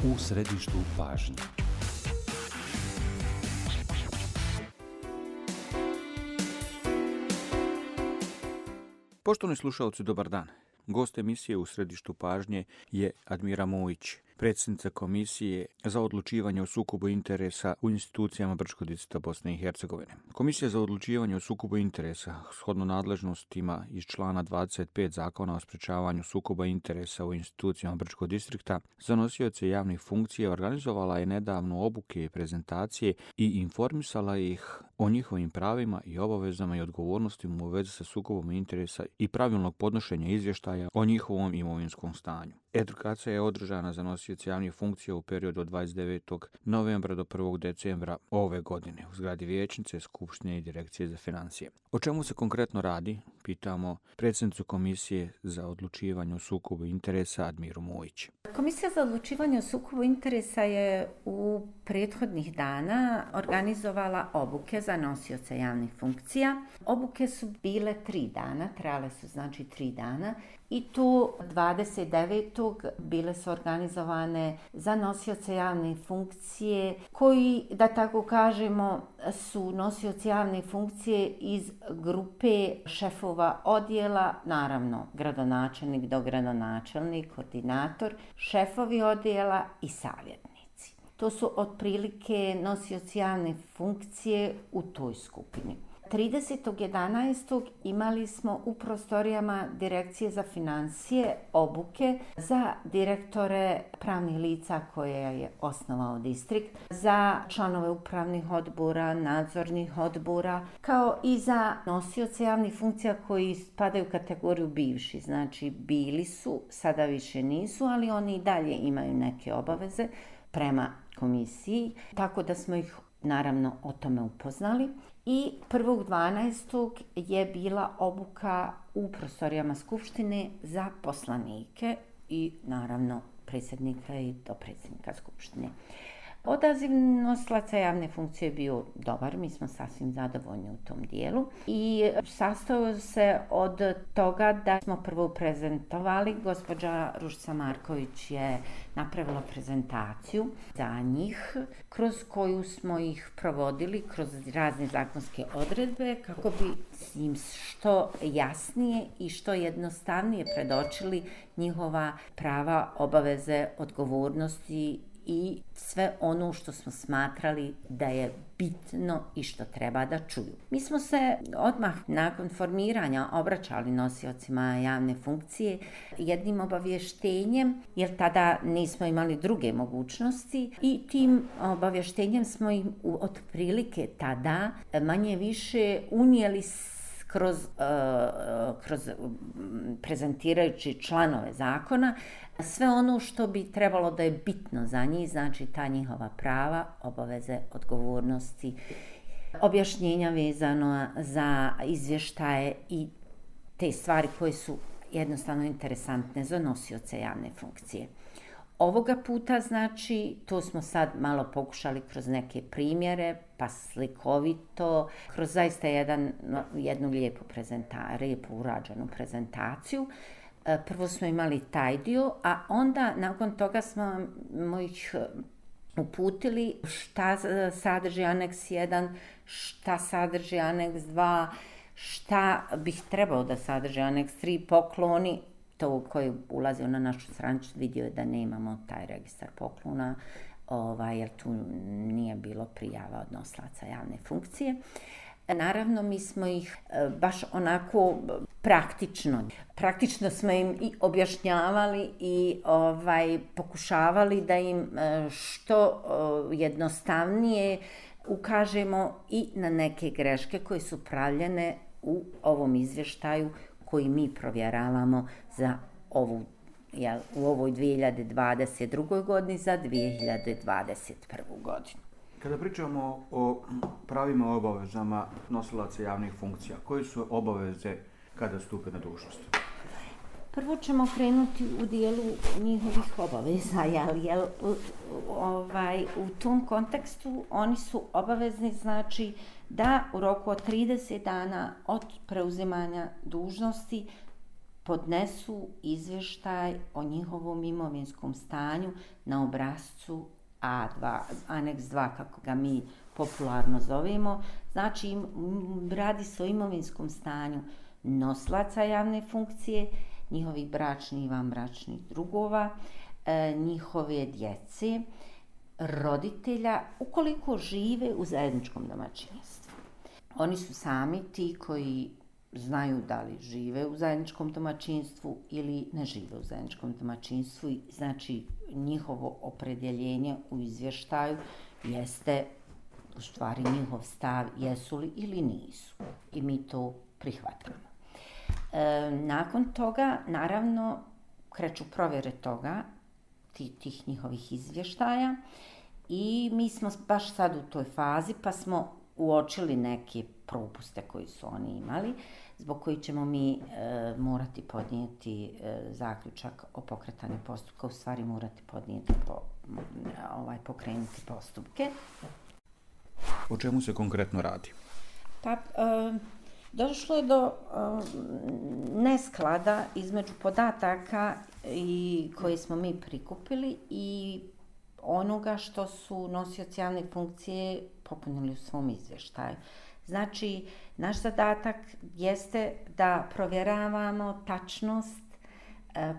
u središtu pažnje. Poštovani slušalci, dobar dan. Gost emisije u središtu pažnje je Admira Mujić, predsjednica Komisije za odlučivanje o sukobu interesa u institucijama Brčkog distrikta Bosne i Hercegovine. Komisija za odlučivanje o sukobu interesa, shodno nadležnostima iz člana 25 Zakona o sprečavanju sukoba interesa u institucijama Brčkog distrikta, za nosioce javnih funkcija organizovala je nedavno obuke i prezentacije i informisala ih o njihovim pravima i obavezama i odgovornostima u vezi sa sukobom interesa i pravilnog podnošenja izvještaja o njihovom imovinskom stanju. Edukacija je održana za nosioce javnih funkcija u periodu od 29. novembra do 1. decembra ove godine u zgradi Vijećnice, Skupštine i Direkcije za financije. O čemu se konkretno radi, pitamo predsjednicu Komisije za odlučivanje o sukobu interesa Admiru Mujić. Komisija za odlučivanje o sukobu interesa je u prethodnih dana organizovala obuke za nosioce javnih funkcija. Obuke su bile 3 dana, trajale su znači 3 dana i tu 29. bile su organizovane za nosioce javne funkcije koji, da tako kažemo, su nosioci javne funkcije iz grupe šefova odjela, naravno gradonačelnik, dogradonačelnik, koordinator, šefovi odjela i savjetnici. To su otprilike nosioci javne funkcije u toj skupini. 30.11. imali smo u prostorijama Direkcije za financije obuke za direktore pravnih lica koje je osnovao distrikt, za članove upravnih odbora, nadzornih odbora, kao i za nosioce javnih funkcija koji spadaju u kategoriju bivši. Znači bili su, sada više nisu, ali oni i dalje imaju neke obaveze prema komisiji, tako da smo ih naravno o tome upoznali. I 1.12. je bila obuka u prostorijama Skupštine za poslanike i naravno predsjednika i dopredsjednika Skupštine. Odaziv nosilaca javne funkcije je bio dobar, mi smo sasvim zadovoljni u tom dijelu i sastojao se od toga da smo prvo prezentovali, gospođa Ružica Marković je napravila prezentaciju za njih, kroz koju smo ih provodili kroz razne zakonske odredbe kako bi im što jasnije i što jednostavnije predočili njihova prava, obaveze, odgovornosti i sve ono što smo smatrali da je bitno i što treba da čuju. Mi smo se odmah nakon formiranja obraćali nosiocima javne funkcije jednim obavještenjem, jer tada nismo imali druge mogućnosti i tim obavještenjem smo im otprilike tada manje više unijeli kroz prezentirajući članove zakona sve ono što bi trebalo da je bitno za njih, znači ta njihova prava, obaveze, odgovornosti, objašnjenja vezano za izvještaje i te stvari koje su jednostavno interesantne za nosioce javne funkcije. Ovoga puta, znači, to smo sad malo pokušali kroz neke primjere, pa slikovito, kroz zaista jednu lijepu urađenu prezentaciju. Prvo smo imali taj dio, a onda nakon toga smo ih uputili šta sadrži aneks 1, šta sadrži aneks 2, šta bih trebao da sadrži aneks 3, pokloni. To koji ulazio na našu stranicu vidio je da nemamo taj registar poklona, jer tu nije bilo prijava od nosilaca javne funkcije. Naravno, mi smo ih baš onako praktično smo im i objašnjavali i pokušavali da im što jednostavnije ukažemo i na neke greške koje su pravljene u ovom izvještaju koji mi provjeravamo za u ovoj 2022. godini za 2021. godinu. Kada pričamo o pravima i obavezama nosilaca javnih funkcija, koje su obaveze kada stupe na dužnost? Prvo ćemo krenuti u dijelu njihovih obaveza, u tom kontekstu oni su obavezni, znači, da u roku od 30 dana od preuzimanja dužnosti podnesu izvještaj o njihovom imovinskom stanju na obrascu A2, aneks 2 kako ga mi popularno zovemo. Znači radi se o imovinskom stanju nosilaca javne funkcije, njihovih bračnih i vanbračnih drugova, njihove djece, roditelja, ukoliko žive u zajedničkom domaćinstvu. Oni su sami ti koji znaju da li žive u zajedničkom domaćinstvu ili ne žive u zajedničkom domaćinstvu. Znači, njihovo opredjeljenje u izvještaju jeste u stvari njihov stav jesu li ili nisu. I mi to prihvatamo. Nakon toga, naravno, kreću provjere toga, tih njihovih izvještaja i mi smo baš sad u toj fazi pa smo uočili neke propuste koji su oni imali, zbog koji ćemo mi morati podnijeti zaključak o pokretanju postupka, u stvari morati podnijeti pokrenuti postupke. O čemu se konkretno radi? Pa, došlo je do nesklada između podataka koje smo mi prikupili i onoga što su nosioci javne funkcije popunili u svom izvještaju. Znači, naš zadatak jeste da provjeravamo tačnost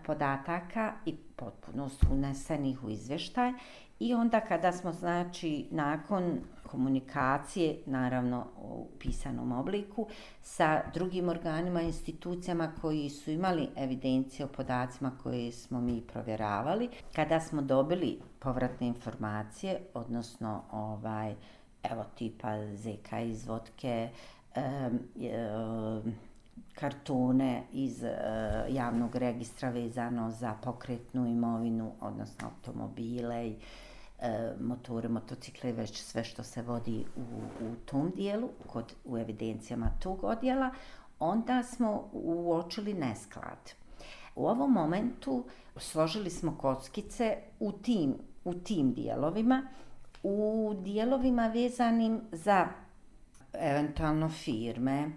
podataka i potpunost unesenih u izvještaj i onda kada smo, znači, nakon komunikacije, naravno u pisanom obliku, sa drugim organima i institucijama koji su imali evidencije o podacima koje smo mi provjeravali, kada smo dobili povratne informacije, odnosno evo tipa ZK izvodke, kartone iz javnog registra vezano za pokretnu imovinu, odnosno automobile i motore, motocikle, već sve što se vodi u tom dijelu, u evidencijama tog odjela, onda smo uočili nesklad. U ovom momentu složili smo kockice u tim dijelovima, u dijelovima vezanim za eventualno firme,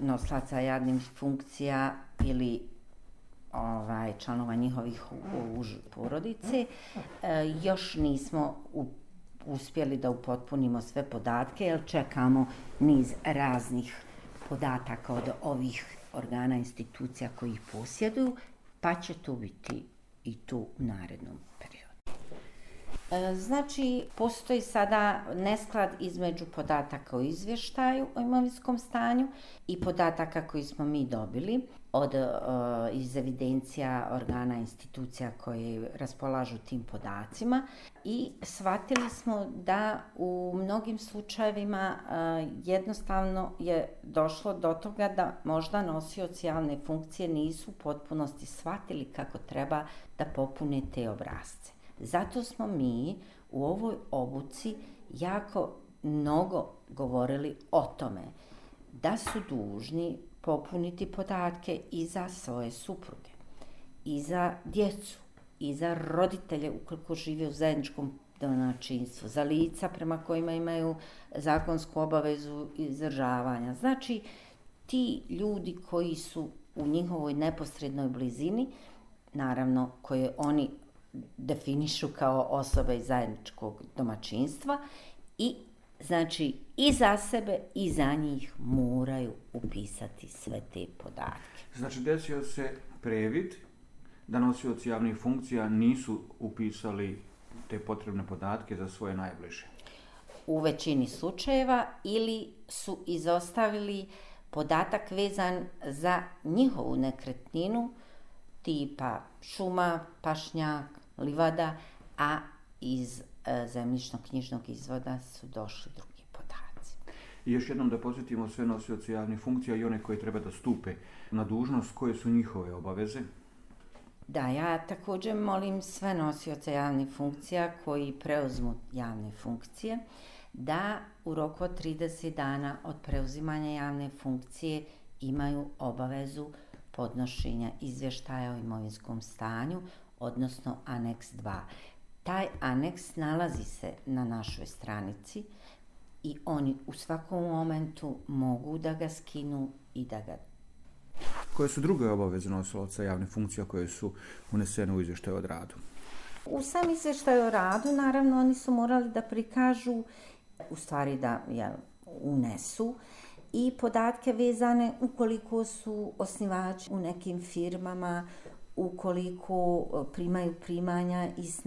nosilaca javnih funkcija ili članova njihovih porodice. Još nismo uspjeli da upotpunimo sve podatke jer čekamo niz raznih podataka od ovih organa, institucija koji ih posjeduju, pa će to biti i tu u narednom periodu. Znači, postoji sada nesklad između podataka o izvještaju o imovinskom stanju i podataka koji smo mi dobili iz evidencija organa institucija koje raspolažu tim podacima i shvatili smo da u mnogim slučajevima jednostavno je došlo do toga da možda nosioci javne funkcije nisu u potpunosti shvatili kako treba da popune te obrasce. Zato smo mi u ovoj obuci jako mnogo govorili o tome da su dužni popuniti podatke i za svoje supruge, i za djecu, i za roditelje ukoliko žive u zajedničkom domaćinstvu, za lica prema kojima imaju zakonsku obavezu izdržavanja. Znači, ti ljudi koji su u njihovoj neposrednoj blizini, naravno koje oni definišu kao osobe iz zajedničkog domaćinstva i znači i za sebe i za njih moraju upisati sve te podatke. Znači desio se previd da nosioci javnih funkcija nisu upisali te potrebne podatke za svoje najbliže. U većini slučajeva ili su izostavili podatak vezan za njihovu nekretninu tipa šuma, pašnjak, livada, a iz zemljišno-knjižnog izvoda su došli drugi podaci. I još jednom da podsjetimo sve nosioci javnih funkcija i one koji treba da stupe na dužnost, koje su njihove obaveze? Da, ja također molim sve nosioce javnih funkcija koji preuzmu javne funkcije da u roku od 30 dana od preuzimanja javne funkcije imaju obavezu podnošenja izvještaja o imovinskom stanju, odnosno aneks 2. Taj aneks nalazi se na našoj stranici i oni u svakom momentu mogu da ga skinu i da ga Koje su druge obaveze nosilaca javnih funkcija koje su unesene u izvještaju o radu? U sam izvještaj o radu, naravno, oni su morali da prikažu, u stvari da unesu i podatke vezane ukoliko su osnivači u nekim firmama, ukoliko primaju primanja iz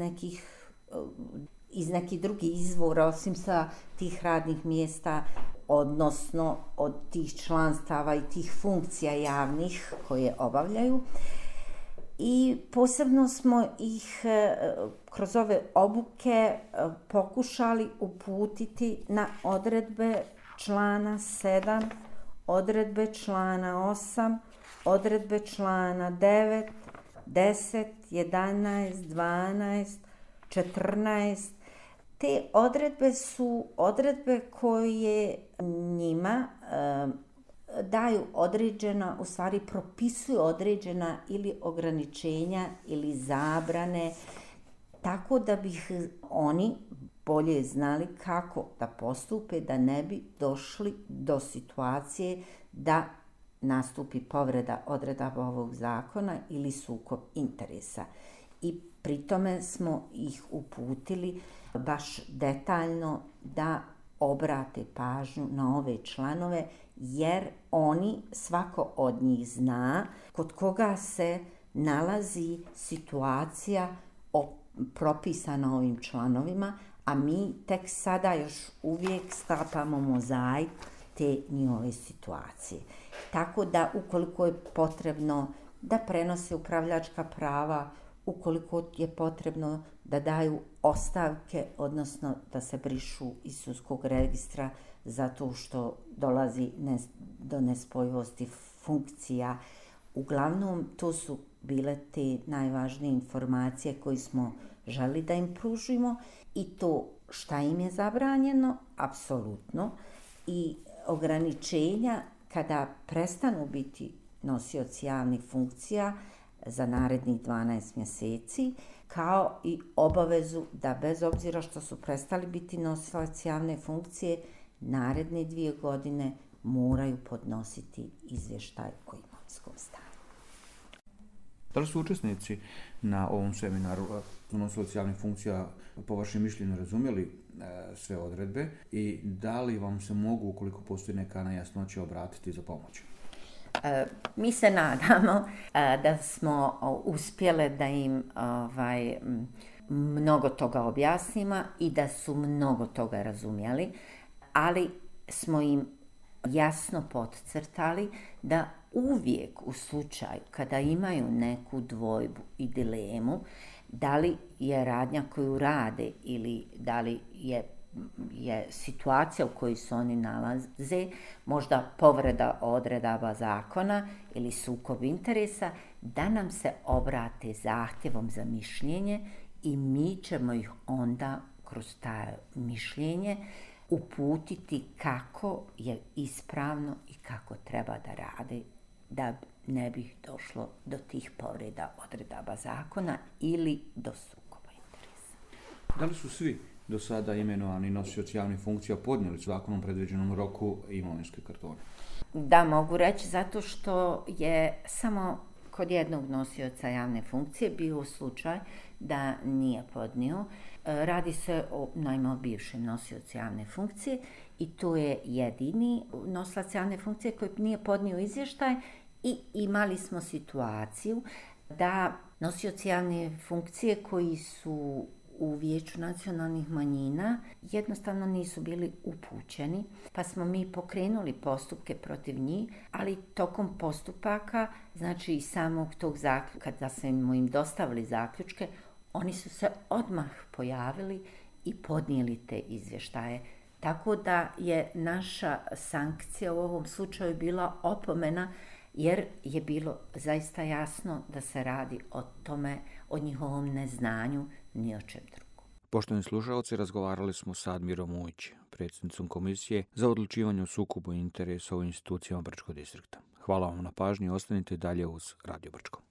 nekih drugih izvora, osim sa tih radnih mjesta, odnosno od tih članstava i tih funkcija javnih koje obavljaju. I posebno smo ih kroz ove obuke pokušali uputiti na odredbe člana 7, odredbe člana 8, odredbe člana 9, 10, 11, 12, 14. Te odredbe su odredbe koje njima daju određena, u stvari propisuju određena ili ograničenja ili zabrane, tako da bi oni bolje znali kako da postupe, da ne bi došli do situacije da nastupi povreda odredaba ovog zakona ili sukob interesa. I pri tome smo ih uputili baš detaljno da obrate pažnju na ove članove, jer oni, svako od njih zna kod koga se nalazi situacija propisana ovim članovima, a mi tek sada još uvijek sklapamo mozaik te njihove situacije. Tako da ukoliko je potrebno da prenose upravljačka prava, ukoliko je potrebno da daju ostavke, odnosno da se brišu iz sudskog registra zato što dolazi do nespojivosti funkcija. Uglavnom, to su bile te najvažnije informacije koje smo želi da im pružimo i to šta im je zabranjeno, apsolutno, i ograničenja kada prestanu biti nosioci javnih funkcija za narednih 12 mjeseci, kao i obavezu da bez obzira što su prestali biti nosilac javne funkcije, naredne 2 godine moraju podnositi izvještaj o imovinskom stanju. Da li su učesnici na ovom seminaru nosilaca javnih funkcija po vašem mišljenju razumjeli sve odredbe i da li vam se mogu, ukoliko postoji neka nejasnoća, obratiti za pomoć? Mi se nadamo da smo uspjele da im mnogo toga objasnimo i da su mnogo toga razumjeli, ali smo im jasno podcrtali da uvijek u slučaju kada imaju neku dvojbu i dilemu, da li je radnja koju rade ili da li je situacija u kojoj se oni nalaze, možda povreda odredaba zakona ili sukob interesa, da nam se obrate zahtjevom za mišljenje i mi ćemo ih onda kroz to mišljenje uputiti kako je ispravno i kako treba da rade, da ne bi došlo do tih povreda odredaba zakona ili do sukoba interesa. Da li su svi do sada imenovani nosioci javnih funkcija podnijeli zakonom predviđenom roku imovinske kartone? Da, mogu reći, zato što je samo kod jednog nosioca javne funkcije bio slučaj da nije podnio. Radi se o bivšem nosiocu javne funkcije i to je jedini nosilac javne funkcije koji nije podnio izvještaj i imali smo situaciju da nosioci javne funkcije koji su u Vijeću nacionalnih manjina jednostavno nisu bili upućeni, pa smo mi pokrenuli postupke protiv njih, ali tokom postupaka, znači i samog tog zaključka, kada smo im dostavili zaključke, oni su se odmah pojavili i podnijeli te izvještaje. Tako da je naša sankcija u ovom slučaju bila opomena, jer je bilo zaista jasno da se radi o tome, o njihovom neznanju, ni o čem drugom. Poštovani slušalci, razgovarali smo sa Admirom Mujić, predsjednicom Komisije za odlučivanje o sukobu interesa u institucijama Brčkog distrikta. Hvala vam na pažnji i ostanite dalje uz Radio Brčko.